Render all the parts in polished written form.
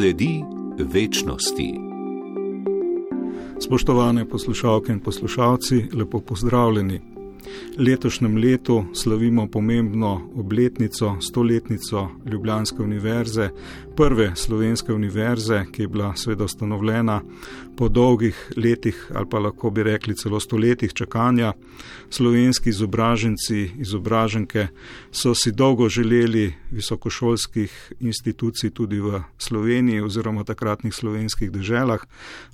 Sledi večnosti. Spoštovane poslušalke in poslušalci, lepo pozdravljeni. Letošnjem letu slavimo pomembno obletnico, 100-letnico Ljubljanske univerze, prve slovenske univerze, ki je bila seveda ustanovljena po dolgih letih ali pa lahko bi rekli celo stoletjih čakanja. Slovenski izobraženci, izobraženke so si dolgo želeli visokošolskih institucij tudi v Sloveniji oziroma takratnih slovenskih deželah,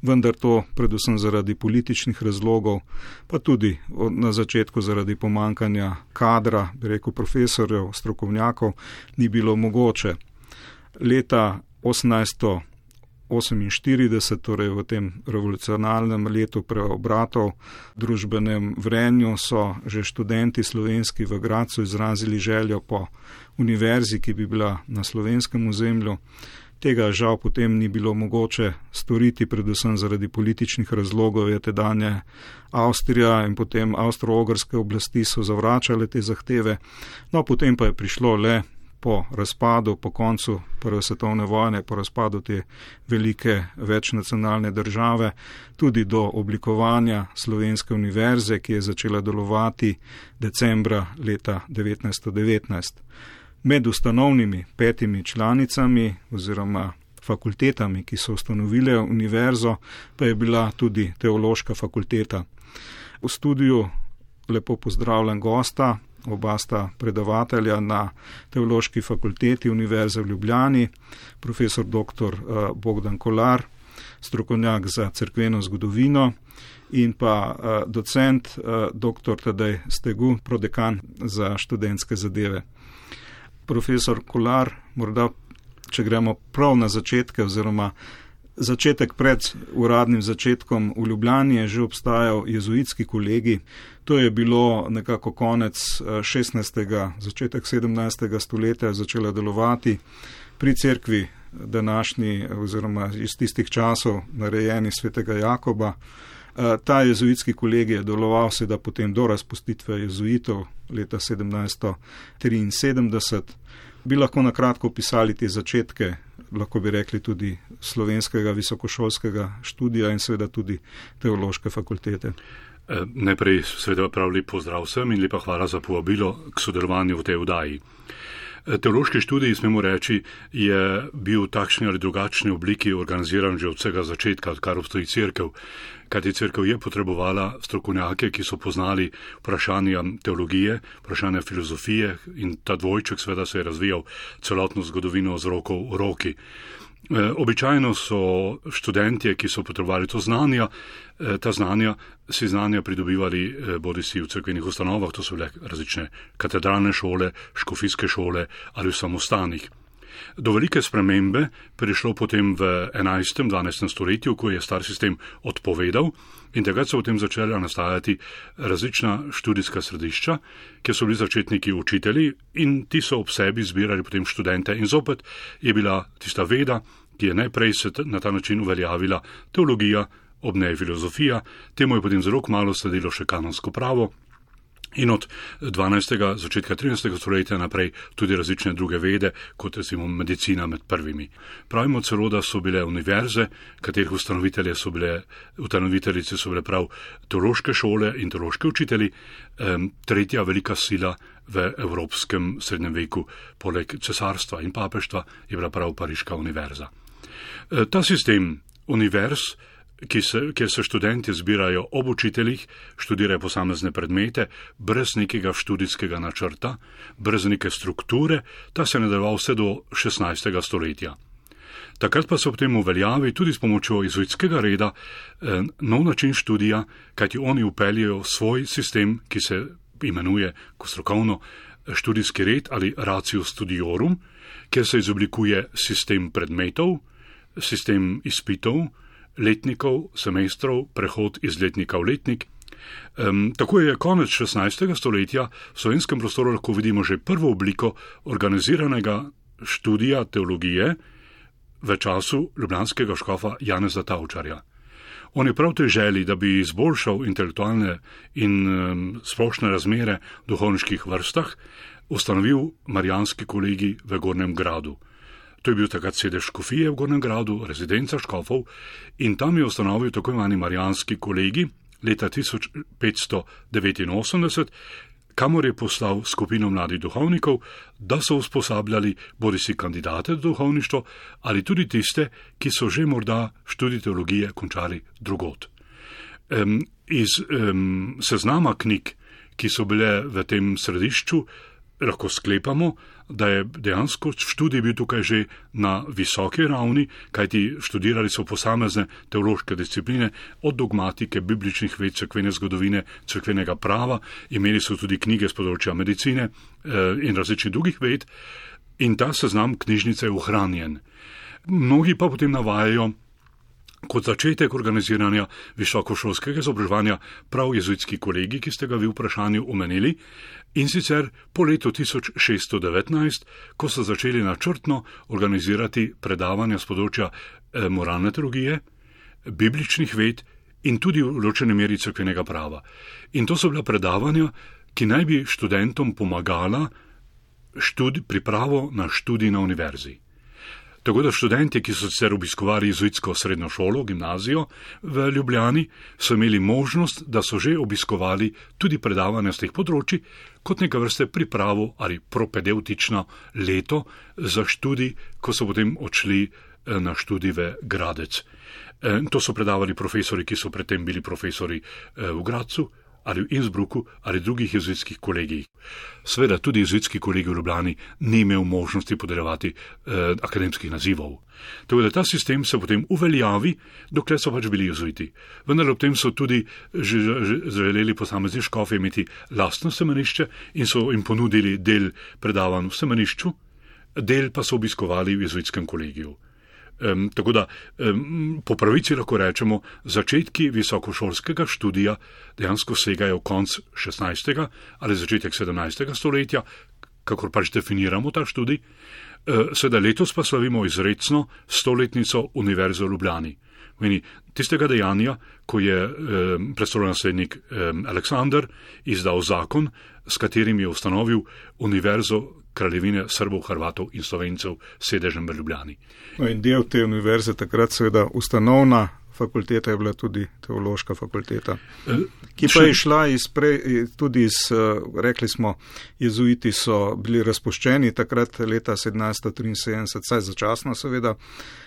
vendar to predvsem zaradi političnih razlogov, pa tudi na začetku zaradi pomankanja kadra, bi rekel profesorjev, strokovnjakov, ni bilo mogoče. Leta 1848, torej v tem revolucionarnem letu preobratov, družbenem vrenju, so že študenti slovenski v Gradcu izrazili željo po univerzi, ki bi bila na slovenskem ozemlju. Tega žal potem ni bilo mogoče storiti, predvsem zaradi političnih razlogov, je tedanja Avstrija in potem avstro-ogrske oblasti so zavračale te zahteve. No, potem pa je prišlo le po razpadu, po koncu Prve svetovne vojne, po razpadu te velike večnacionalne države, tudi do oblikovanja Slovenske univerze, ki je začela delovati decembra leta 1919. Med ustanovnimi 5 članicami oziroma fakultetami, ki so ustanovile univerzo, pa je bila tudi teološka fakulteta. V studiu lepo pozdravljam gosta, oba sta predavatelja na Teološki fakulteti Univerze v Ljubljani, profesor dr. Bogdan Kolar, strokovnjak za cerkveno zgodovino, in pa docent dr. Tadej Stegu, prodekan za študentske zadeve. Profesor Kolar, morda, če gremo prav na začetke, oziroma začetek pred uradnim začetkom v Ljubljani je že obstajal jezuitski kolegij. To je bilo nekako konec 16., začetek 17. stoletja začela delovati pri cerkvi današnji oziroma iz tistih časov narejeni svetega Jakoba. Ta jezuitski kolegij je deloval seveda potem do razpustitve jezuitov leta 1773. Bi lahko na kratko opisali te začetke, lahko bi rekli tudi slovenskega visokošolskega študija in seveda tudi teološke fakultete. Najprej seveda prav lep pozdrav vsem in lepa hvala za povabilo k sodelovanju v tej oddaji. Teološki študij, smemo reči, je bil v takšni ali drugačni obliki organiziran že od vsega začetka, odkar obstoji cerkev. Kajti cerkev je potrebovala strokovnjake, ki so poznali vprašanja teologije, vprašanja filozofije, in ta dvojček seveda se je razvijal celotno zgodovino z roko v roki. Običajno so študentje, ki so potrebovali ta znanja pridobivali bodisi v cerkvenih ustanovah, to so bile različne katedralne šole, škofijske šole ali v samostanih. Do velike spremembe prišlo potem v 11. 12. stoletju, ko je star sistem odpovedal, in takrat so potem začela nastajati različna študijska središča, kjer so bili začetniki učitelji in ti so ob sebi zbirali potem študente in zopet je bila tista veda, ki je najprej se na ta način uveljavila teologija, ob njej filozofija, temu je potem zelo kmalu sledilo še kanonsko pravo. In od 12. začetka 13. stoletja naprej tudi različne druge vede, kot recimo medicina med prvimi. Pravimo celo, da so bile univerze, katerih ustanoviteljice so bile prav teološke šole in teološki učitelji, tretja velika sila v evropskem srednjem veku, poleg cesarstva in papeštva, je bila prav Pariška univerza. Ta sistem univerz, kjer se študenti zbirajo ob učiteljih, študirajo posamezne predmete, brez nekega študijskega načrta, brez neke strukture, ta se je nadaljeval vse do 16. stoletja. Takrat pa se potem uveljavi tudi s pomočjo jezuitskega reda nov način študija, kajti oni vpeljajo svoj sistem, ki se imenuje kot strokovno študijski red ali ratio studiorum, kjer se izoblikuje sistem predmetov, sistem izpitov, letnikov, semestrov, prehod iz letnika v letnik. Tako je konec 16. stoletja v slovenskem prostoru lahko vidimo že prvo obliko organiziranega študija teologije v času ljubljanskega škofa Janeza Tavčarja. On je prav tej želji, da bi izboljšal intelektualne in splošne razmere v duhovniških vrstah, ustanovil marijanski kolegij v Gornjem Gradu. To je bil takrat sedež škofije v Gornjem Gradu, rezidenca škofov, in tam je ustanovil tako imenovani Marijanski kolegij leta 1589, kamor je poslal skupino mladih duhovnikov, da so usposabljali bodisi kandidate za duhovništvo ali tudi tiste, ki so že morda študij teologije končali drugod. Iz seznama knjig, ki so bile v tem središču, lahko sklepamo, da je dejansko študij bil tukaj že na visoki ravni, kajti študirali so posamezne teološke discipline, od dogmatike, bibličnih ved, cerkvene zgodovine, cerkvenega prava, imeli so tudi knjige z področja medicine in različnih drugih ved, in ta seznam knjižnice je ohranjen. Mnogi pa potem navajajo kot začetek organiziranja visokošolskega izobraževanja prav jezuitski kolegij, ki ste ga vi v vprašanju omenili, in sicer po letu 1619, ko so začeli načrtno organizirati predavanja z področja moralne teologije, bibličnih ved in tudi v določeni meri cerkvenega prava. In to so bila predavanja, ki naj bi študentom pomagala pripravo na študij na univerzi. Tako da študenti, ki so sicer obiskovali jezuitsko srednjo šolo, gimnazijo v Ljubljani, so imeli možnost, da so že obiskovali tudi predavanja z teh področji, kot neka vrste pripravo ali propedeutično leto za študij, ko so potem odšli na študij v Gradec. To so predavali profesori, ki so predtem bili profesori v Gradcu ali v Innsbrucku ali drugih jezuitskih kolegijih. Sveda tudi jezuitski kolegij v Ljubljani ni imel možnosti podeljevati akademskih nazivov. Tako da ta sistem se potem uveljavi, dokler so pač bili jezuiti. Vendar ob tem so tudi želeli posamezni škofi imeti lastno semenišče in so jim ponudili del predavanj v semenišču, del pa so obiskovali v jezuitskem kolegiju. Tako da po pravici lahko rečemo, začetki visokošolskega študija dejansko segajo konc 16. ali začetek 17. stoletja, kakor pač definiramo ta študij. Seveda letos pa slavimo izrecno 100-letnico Univerze v Ljubljani. Meni tistega dejanja, ko je prestolonaslednik Aleksander izdal zakon, s katerim je ustanovil Univerzo Kraljevine Srbov, Hrvatov in Slovencev sedežem v Ljubljani. No in del te univerze takrat seveda ustanovna fakulteta je bila tudi teološka fakulteta, ki pa je šla tudi iz, rekli smo, jezuiti so bili razpuščeni takrat leta 1773, saj začasno seveda.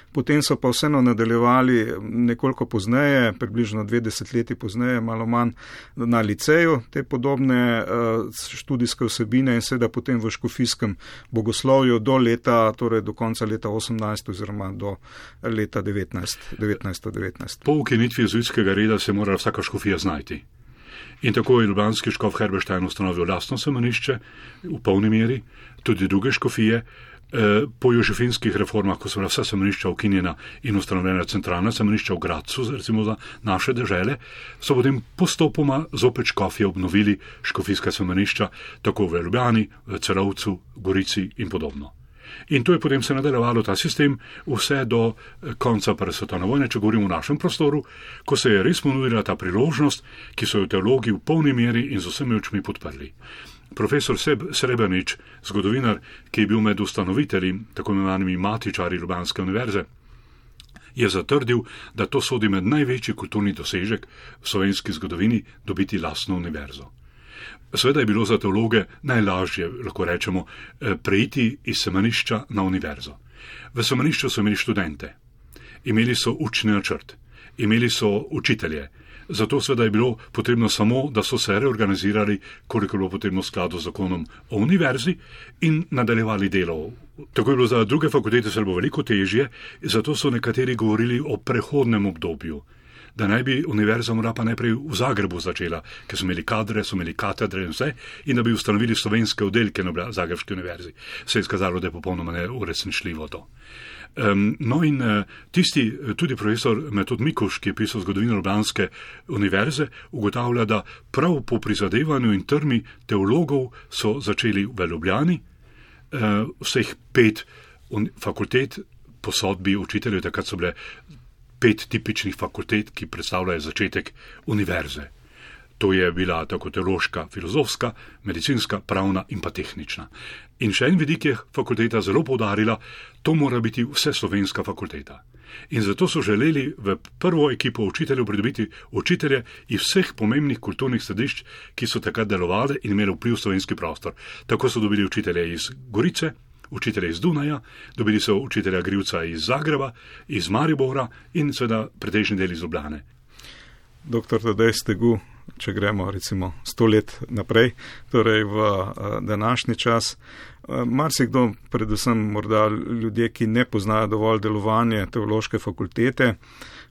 Potem so pa vseeno nadaljevali nekoliko pozneje, približno 20 leti pozneje, malo manj na liceju, te podobne študijske vsebine in seveda potem v škofijskem bogoslovju do leta, torej do konca leta 18 oziroma do leta 1919. Po ukinitvi jezuitskega reda se mora vsaka škofija znajti. In tako je ljubljanski škof Herberstein ustanovil lastno semenišče v polni meri, tudi druge škofije. Po jožefinskih reformah, ko so bila vsa semenišča ukinjena in ustanovljena centralna semenišča v Gradcu, recimo za naše dežele, so potem postopoma zopet škofje obnovili škofijska semenišča, tako v Ljubljani, v Celovcu, Gorici in podobno. In to je potem se nadaljevalo ta sistem vse do konca prve svetovne vojne, če govorimo o našem prostoru, ko se je res ponudila ta priložnost, ki so jo teologi v polni meri in z vsemi očmi podprli. Profesor Srebrnič, zgodovinar, ki je bil med ustanovitelji, tako imenovanimi matičari Ljubljanske univerze, je zatrdil, da to sodi med največji kulturni dosežek v slovenski zgodovini dobiti lastno univerzo. Seveda je bilo za teologe najlažje, lahko rečemo, preiti iz semenišča na univerzo. V semenišču so imeli študente, imeli so učni načrt, imeli so učitelje. Zato seveda je bilo potrebno samo, da so se reorganizirali, koliko je bilo potrebno v skladu z zakonom o univerzi in nadaljevali delo. Tako je bilo za druge fakultete se bilo veliko težje, zato so nekateri govorili o prehodnem obdobju, da naj bi univerza morda pa najprej v Zagrebu začela, ker so imeli kadre, so imeli katedre in vse, in da bi ustanovili slovenske oddelke na Zagrebški univerzi. Se je izkazalo, da je popolnoma neuresničljivo to. No in tisti, tudi profesor Metod Mikuš, ki je pisal zgodovino Ljubljanske univerze, ugotavlja, da prav po prizadevanju in trmi teologov so začeli v Ljubljani vseh 5 fakultet po sodbi učiteljev, takrat so bile 5 tipičnih fakultet, ki predstavljajo začetek univerze. To je bila tako teološka, filozofska, medicinska, pravna in pa tehnična. In še en vidik je fakulteta zelo poudarila, to mora biti vseslovenska fakulteta. In zato so želeli v prvo ekipo učiteljev pridobiti učitelje iz vseh pomembnih kulturnih središč, ki so takrat delovali in imeli vpliv v slovenski prostor. Tako so dobili učitelje iz Gorice, učitelje iz Dunaja, dobili so učitelja Grivca iz Zagreba, iz Maribora in seveda pretežni del iz Ljubljane. Dr. Tadej Stegu, če gremo recimo 100 let naprej, torej v današnji čas, marsikdo, predvsem morda ljudje, ki ne poznajo dovolj delovanje teološke fakultete,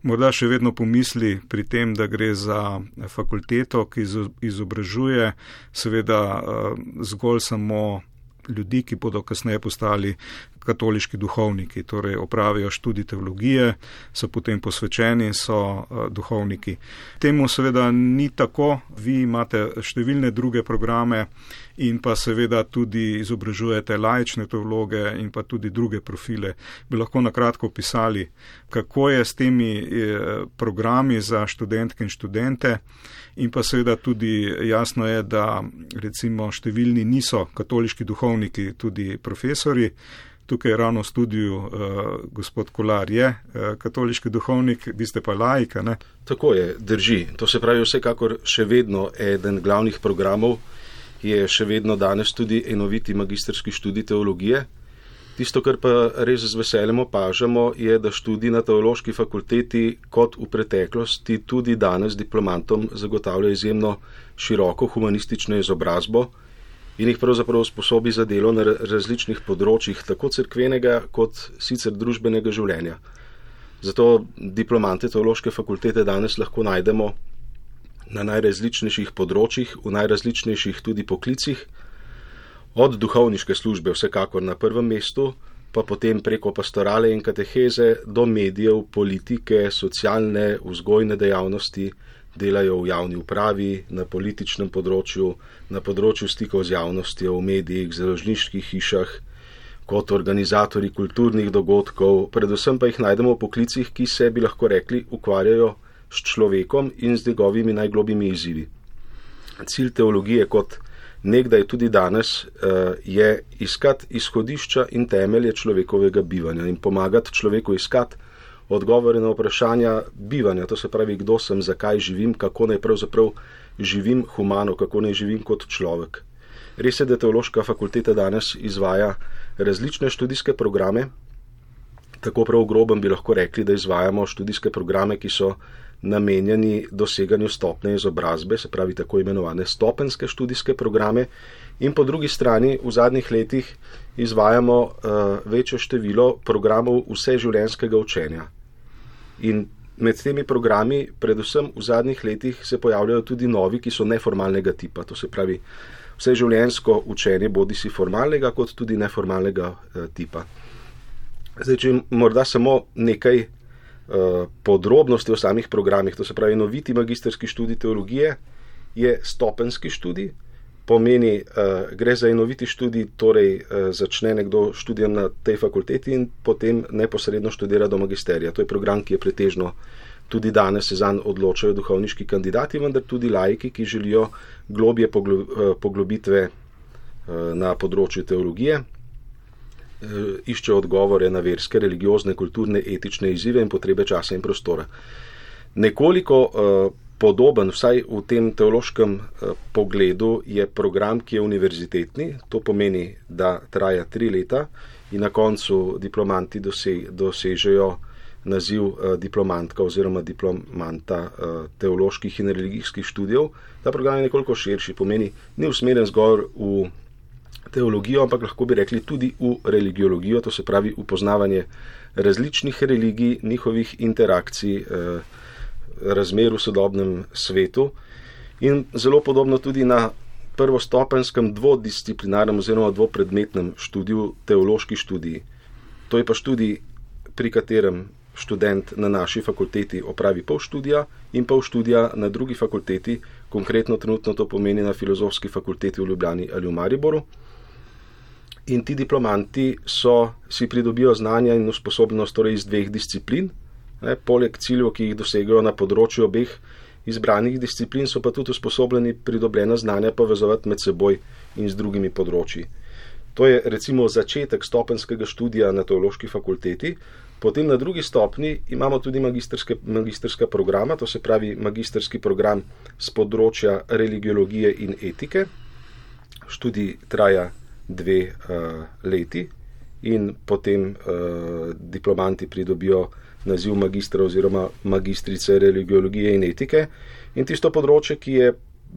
morda še vedno pomisli pri tem, da gre za fakulteto, ki izobražuje seveda zgolj samo ljudi, ki bodo kasneje postali katoliški duhovniki, torej opravijo študij teologije, so potem posvečeni, so duhovniki. Temu seveda ni tako, vi imate številne druge programe in pa seveda tudi izobražujete laične teologe in pa tudi druge profile. Bi lahko na kratko opisali, kako je s temi programi za študentke in študente, in pa seveda tudi jasno je, da recimo številni niso katoliški duhovniki, tudi profesori. Tukaj ravno v studiu gospod Kolar je katoliški duhovnik, vi ste pa laika, ne? Tako je, drži. To se pravi vsekakor še vedno eden glavnih programov je še vedno danes tudi enoviti magistrski študij teologije. Tisto, kar pa res z veseljem opažamo, je, da študij na teološki fakulteti kot v preteklosti tudi danes diplomantom zagotavlja izjemno široko humanistično izobrazbo in jih pravzaprav sposobi za delo na različnih področjih, tako cerkvenega kot sicer družbenega življenja. Zato diplomante teološke fakultete danes lahko najdemo na najrazličnejših področjih, v najrazličnejših tudi poklicih, od duhovniške službe vsekakor na prvem mestu, pa potem preko pastorale in kateheze do medijev, politike, socialne, vzgojne dejavnosti, delajo v javni upravi, na političnem področju, na področju stikov z javnostjo, v medijih, založniških hišah, kot organizatorji kulturnih dogodkov, predvsem pa jih najdemo v poklicih, ki se, bi lahko rekli, ukvarjajo s človekom in z njegovimi najglobjimi izzivi. Cilj teologije kot nekdaj tudi danes je iskati izhodišča in temelje človekovega bivanja in pomagati človeku iskati odgovore na vprašanja bivanja, to se pravi, kdo sem, zakaj živim, kako naj pravzaprav živim humano, kako naj živim kot človek. Res je, da teološka fakulteta danes izvaja različne študijske programe, tako prav grobem bi lahko rekli, da izvajamo študijske programe, ki so namenjeni doseganju stopnje izobrazbe, se pravi tako imenovane stopenske študijske programe, in po drugi strani v zadnjih letih izvajamo večje število programov vseživljenjskega učenja. In med temi programi, predvsem v zadnjih letih, se pojavljajo tudi novi, ki so neformalnega tipa, to se pravi vseživljenjsko učenje, bodisi formalnega kot tudi neformalnega tipa. Zdaj, če morda samo nekaj podrobnosti o samih programih, to se pravi enoviti magistrski študij teologije je stopenski študij, pomeni, gre za enoviti študij, torej začne nekdo študijem na tej fakulteti in potem neposredno študira do magisterija. To je program, ki je pretežno tudi danes se zanj odločajo duhovniški kandidati, vendar tudi laiki, ki želijo globje poglobitve na področju teologije, iščejo odgovore na verske, religiozne, kulturne, etične izzive in potrebe časa in prostora. Nekoliko podoben, vsaj v tem teološkem pogledu, je program, ki je univerzitetni, to pomeni, da traja 3 leta in na koncu diplomanti dosežejo naziv diplomantka oziroma diplomanta teoloških in religijskih študijev. Ta program je nekoliko širši, pomeni, ni usmerjen zgolj v teologijo, ampak lahko bi rekli tudi v religiologijo, to se pravi upoznavanje različnih religij, njihovih interakcij, razmer v sodobnem svetu in zelo podobno tudi na prvostopenskem dvodisciplinarnem oziroma dvopredmetnem študiju, teološki študiji. To je pa študij, pri katerem študent na naši fakulteti opravi pol študija in pol študija na drugi fakulteti, konkretno trenutno to pomeni na Filozofski fakulteti v Ljubljani ali v Mariboru. In ti diplomanti si pridobijo znanja in usposobljenost torej iz 2 disciplin, poleg ciljev, ki jih dosegajo na področju obeh, izbranih disciplin so pa tudi usposobljeni pridobljena znanja povezovati med seboj in z drugimi področji. To je recimo začetek stopenskega študija na teološki fakulteti. Potem na drugi stopni imamo tudi magistrska programa, to se pravi magistrski program z področja religiologije in etike. Študij traja 2 leti in potem diplomanti pridobijo naziv magistra oziroma magistrice religiologije in etike. In tisto področje, ki je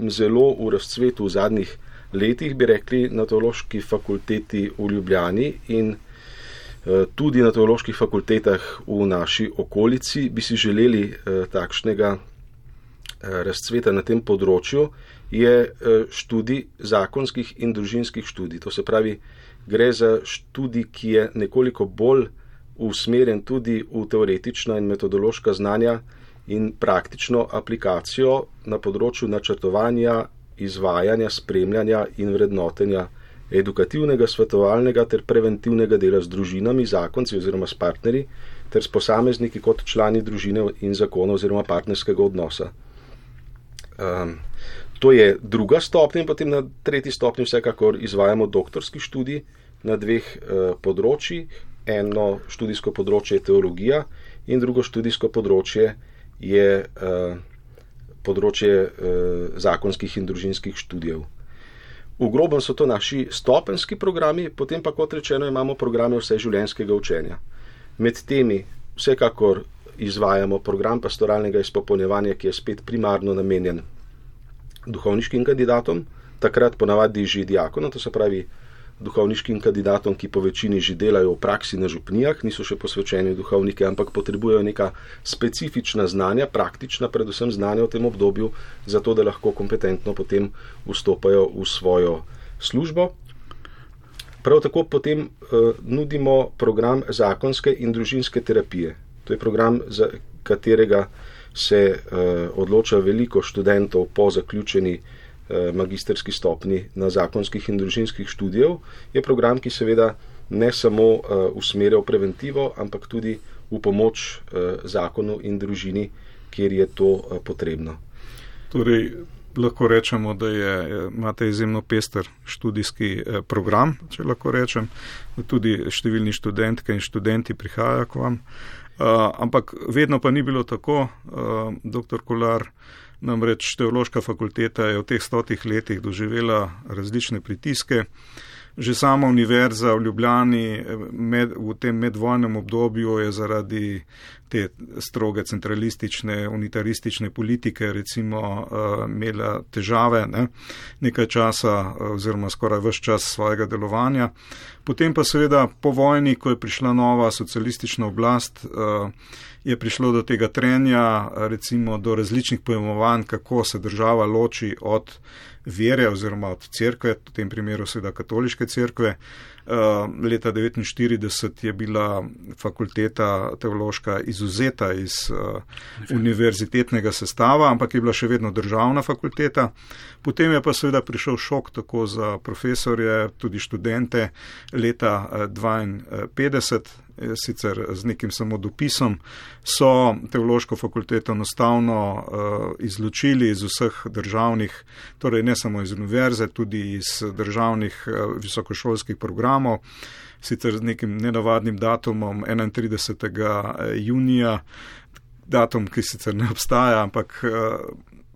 zelo v razcvetu v zadnjih letih, bi rekli, na teološki fakulteti v Ljubljani in tudi na teoloških fakultetah v naši okolici, bi si želeli takšnega razcveta na tem področju, je študij zakonskih in družinskih študij. To se pravi, gre za študij, ki je nekoliko bolj usmerjen tudi v teoretična in metodološka znanja in praktično aplikacijo na področju načrtovanja, izvajanja, spremljanja in vrednotenja edukativnega, svetovalnega ter preventivnega dela z družinami, zakonci oziroma s partnerji ter s posamezniki kot člani družine in zakona oziroma partnerskega odnosa. To je druga stopnja in potem na tretji stopnji vsekakor izvajamo doktorski študij na 2 področjih. Eno študijsko področje je teologija in drugo študijsko področje je področje zakonskih in družinskih študijev. V grobem so to naši stopenski programi, potem pa, kot rečeno, imamo programe vseživljenjskega učenja. Med temi vsekakor izvajamo program pastoralnega izpopolnjevanja, ki je spet primarno namenjen duhovniškim kandidatom, takrat ponavadi že diakonom, to se pravi duhovniškim kandidatom, ki po večini že delajo v praksi na župnijah, niso še posvečeni duhovnike, ampak potrebujejo neka specifična znanja, praktična predvsem znanja v tem obdobju, zato da lahko kompetentno potem vstopajo v svojo službo. Prav tako potem nudimo program zakonske in družinske terapije. To je program, za katerega se odloča veliko študentov po zaključeni magistrski stopni na zakonskih in družinskih študijev, je program, ki seveda ne samo usmerja v preventivo, ampak tudi v pomoč zakonu in družini, kjer je to potrebno. Torej, lahko rečemo, da imate izjemno pester študijski program, če lahko rečem, tudi številni študentke in študenti prihajajo k vam, ampak vedno pa ni bilo tako, dr. Kolar. Namreč teološka fakulteta je v teh 100 letih doživela različne pritiske. Že sama univerza v Ljubljani v tem medvojnem obdobju je zaradi te stroge centralistične, unitaristične politike recimo imela težave nekaj časa oziroma skoraj ves čas svojega delovanja. Potem pa seveda po vojni, ko je prišla nova socialistična oblast, je prišlo do tega trenja, recimo do različnih pojmovanj, kako se država loči od vere oziroma od cerkve, v tem primeru seveda katoliške cerkve. Leta 1949 je bila fakulteta teološka izuzeta iz univerzitetnega sestava, ampak je bila še vedno državna fakulteta. Potem je pa seveda prišel šok tako za profesorje, tudi študente leta 1952, sicer z nekim samo dopisom, so teološko fakulteto enostavno izločili iz vseh državnih, torej ne samo iz univerze, tudi iz državnih visokošolskih programov, sicer z nekim nenavadnim datumom 31. junija, datum, ki sicer ne obstaja, ampak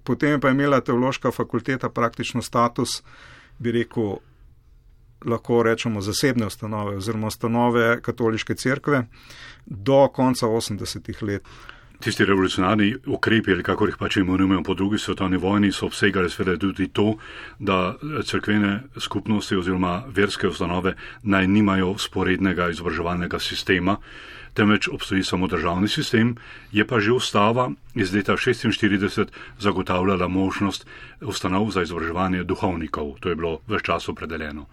potem pa je imela teološka fakulteta praktično status, bi rekel, lahko rečemo zasebne ustanove oziroma ustanove katoliške cerkve do konca 80. let. Tisti revolucionarni ukrepi, ali kakor jih pač imenujemo po drugi svetovni vojni, so obsegali seveda tudi to, da cerkvene skupnosti oziroma verske ustanove naj nimajo sporednega izobraževalnega sistema, temveč obstoji samo državni sistem, je pa že ustava iz leta 1946 zagotavljala možnost ustanov za izobraževanje duhovnikov. To je bilo ves čas opredeljeno.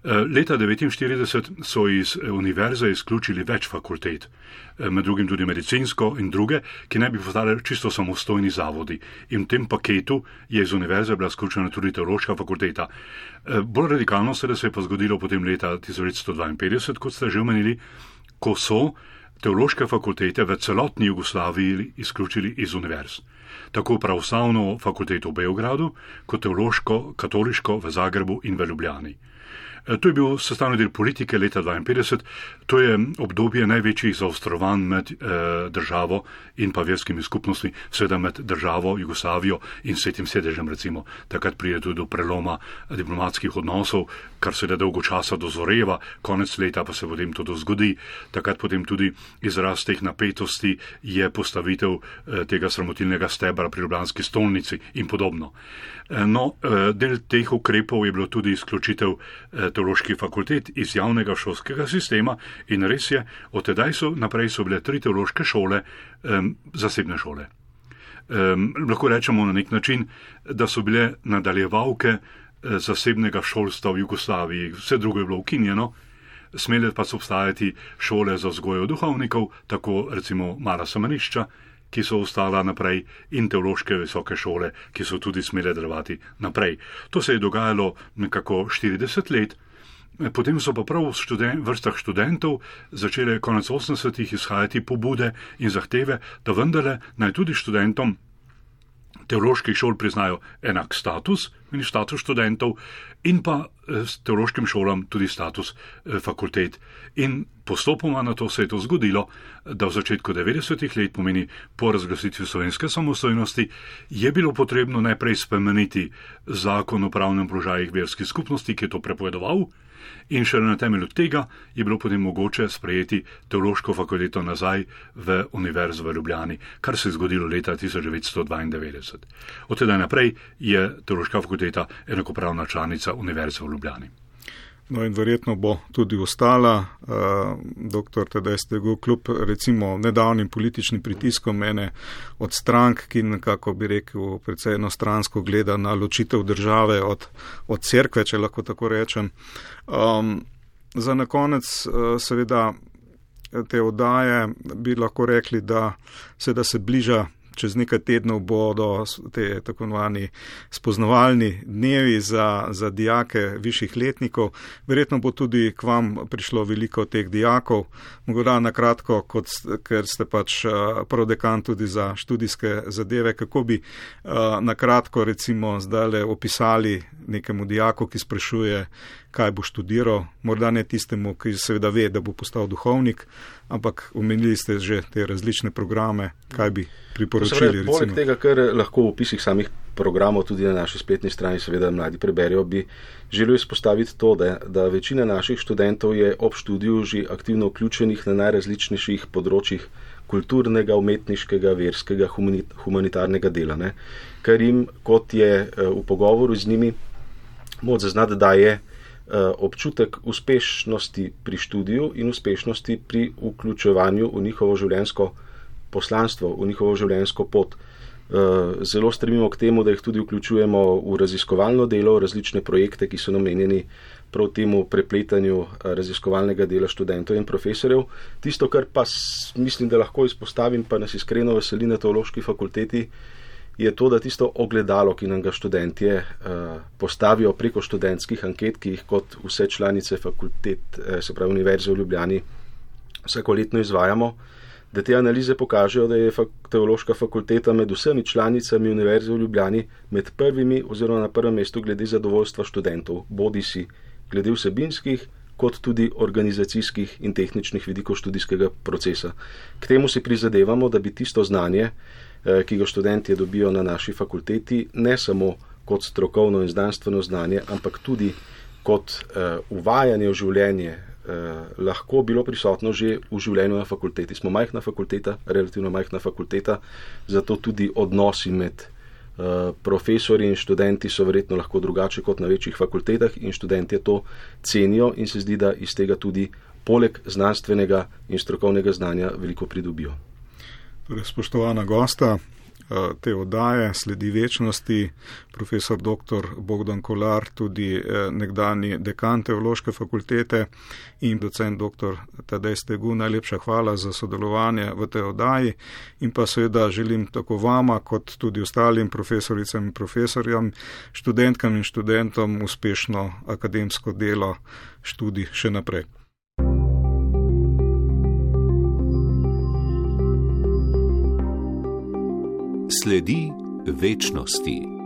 Leta 1949 so iz univerze izključili več fakultet, med drugim tudi medicinsko in druge, ki naj bi postale čisto samostojni zavodi. In v tem paketu je iz univerze bila izključena tudi teološka fakulteta. Bolj radikalno se je pa zgodilo potem leta 1952, kot ste že omenili, ko so teološke fakultete v celotni Jugoslaviji izključili iz univerz. Tako pravoslavno fakulteto v Beogradu, kot teološko, katoliško v Zagrebu in v Ljubljani. To je bil sestavni del politike leta 1952, to je obdobje največjih zaostrovanj med državo in pa verskimi skupnostmi, seveda med državo, Jugoslavijo in Svetim sedežem recimo. Takrat pride tudi do preloma diplomatskih odnosov, kar se da dolgo časa dozoreva, konec leta pa se potem to zgodi. Takrat potem tudi izraz teh napetosti je postavitev tega sramotilnega stebra pri ljubljanski stolnici in podobno. No, del teh ukrepov je bilo tudi izključitev teoloških fakultet iz javnega šolskega sistema in res je, od tedaj naprej so bile 3 teološke šole, zasebne šole. Lahko rečemo na nek način, da so bile nadaljevalke zasebnega šolstva v Jugoslaviji, vse drugo je bilo ukinjeno, smele pa so obstajati šole za vzgojo duhovnikov, tako recimo Mala semenišča, ki so ostala naprej, in teološke visoke šole, ki so tudi smele delovati naprej. To se je dogajalo nekako 40 let, potem so pa prav v vrstah študentov začele konec 80-ih izhajati pobude in zahteve, da vendarle naj tudi študentom teoloških šol priznajo enak status, status študentov, in pa s teološkim šolam tudi status fakultet. In postopoma na to se je to zgodilo, da v začetku 90-ih let, pomeni po razglasitvi slovenske samostojnosti, je bilo potrebno najprej spremeniti zakon o pravnem položaju verskih skupnosti, ki je to prepovedoval, in šele na temelju tega je bilo potem mogoče sprejeti teološko fakulteto nazaj v Univerzo v Ljubljani, kar se je zgodilo leta 1992. Od tedaj naprej je teološka fakulteta enakopravna članica Univerze v Ljubljani. No in verjetno bo tudi ostala, dr. Tadej Stegu, kljub recimo nedavnim političnim pritiskom ene od strank, ki nekako bi rekel precej enostransko gleda na ločitev države od cerkve, če lahko tako rečem. Za na konec seveda te oddaje bi lahko rekli, da se bliža. Čez nekaj tednov bodo te tako imenovani spoznavalni dnevi za dijake višjih letnikov. Verjetno bo tudi k vam prišlo veliko teh dijakov. Mogoče na kratko, ker ste pač prodekan tudi za študijske zadeve, kako bi na kratko recimo zdajle opisali nekemu dijaku, ki sprašuje, kaj bo študiral, morda ne tistemu, ki seveda ve, da bo postal duhovnik, ampak omenili ste že te različne programe, kaj bi priporočili. Poleg tega, kar lahko v opisih samih programov tudi na naši spletni strani seveda mladi preberijo, bi želel izpostaviti to, da večina naših študentov je ob študiju že aktivno vključenih na najrazličnejših področjih kulturnega, umetniškega, verskega, humanitarnega dela, ne? Kar jim, kot je v pogovoru z njimi, moč zaznati, da je občutek uspešnosti pri študiju in uspešnosti pri vključevanju v njihovo življenjsko poslanstvo, v njihovo življenjsko pot. Zelo stremimo k temu, da jih tudi vključujemo v raziskovalno delo, v različne projekte, ki so namenjeni prav temu prepletanju raziskovalnega dela študentov in profesorjev. Tisto, kar pa mislim, da lahko izpostavim, pa nas iskreno veseli na teološki fakulteti, je to, da tisto ogledalo, ki nam ga študentje postavijo preko študentskih anket, ki jih kot vse članice fakultet, se pravi Univerze v Ljubljani, vsakoletno izvajamo, da te analize pokažejo, da je teološka fakulteta med vsemi članicami Univerze v Ljubljani med prvimi oziroma na prvem mestu glede zadovoljstva študentov, bodisi glede vsebinskih, kot tudi organizacijskih in tehničnih vidikov študijskega procesa. K temu si prizadevamo, da bi tisto znanje, ki ga študentje dobijo na naši fakulteti, ne samo kot strokovno in znanstveno znanje, ampak tudi kot uvajanje v življenje, lahko bilo prisotno že v življenju na fakulteti. Smo majhna fakulteta, relativno majhna fakulteta, zato tudi odnosi med profesori in študenti so verjetno lahko drugače kot na večjih fakultetah in študentje to cenijo in se zdi, da iz tega tudi poleg znanstvenega in strokovnega znanja veliko pridobijo. Torej, spoštovana gosta te oddaje Sledi večnosti, profesor dr. Bogdan Kolar, tudi nekdani dekan teološke fakultete in docent dr. Tadej Stegu, najlepša hvala za sodelovanje v tej oddaji in pa seveda želim tako vama kot tudi ostalim profesoricam in profesorjem, študentkam in študentom uspešno akademsko delo, študij še naprej. Sledi večnosti.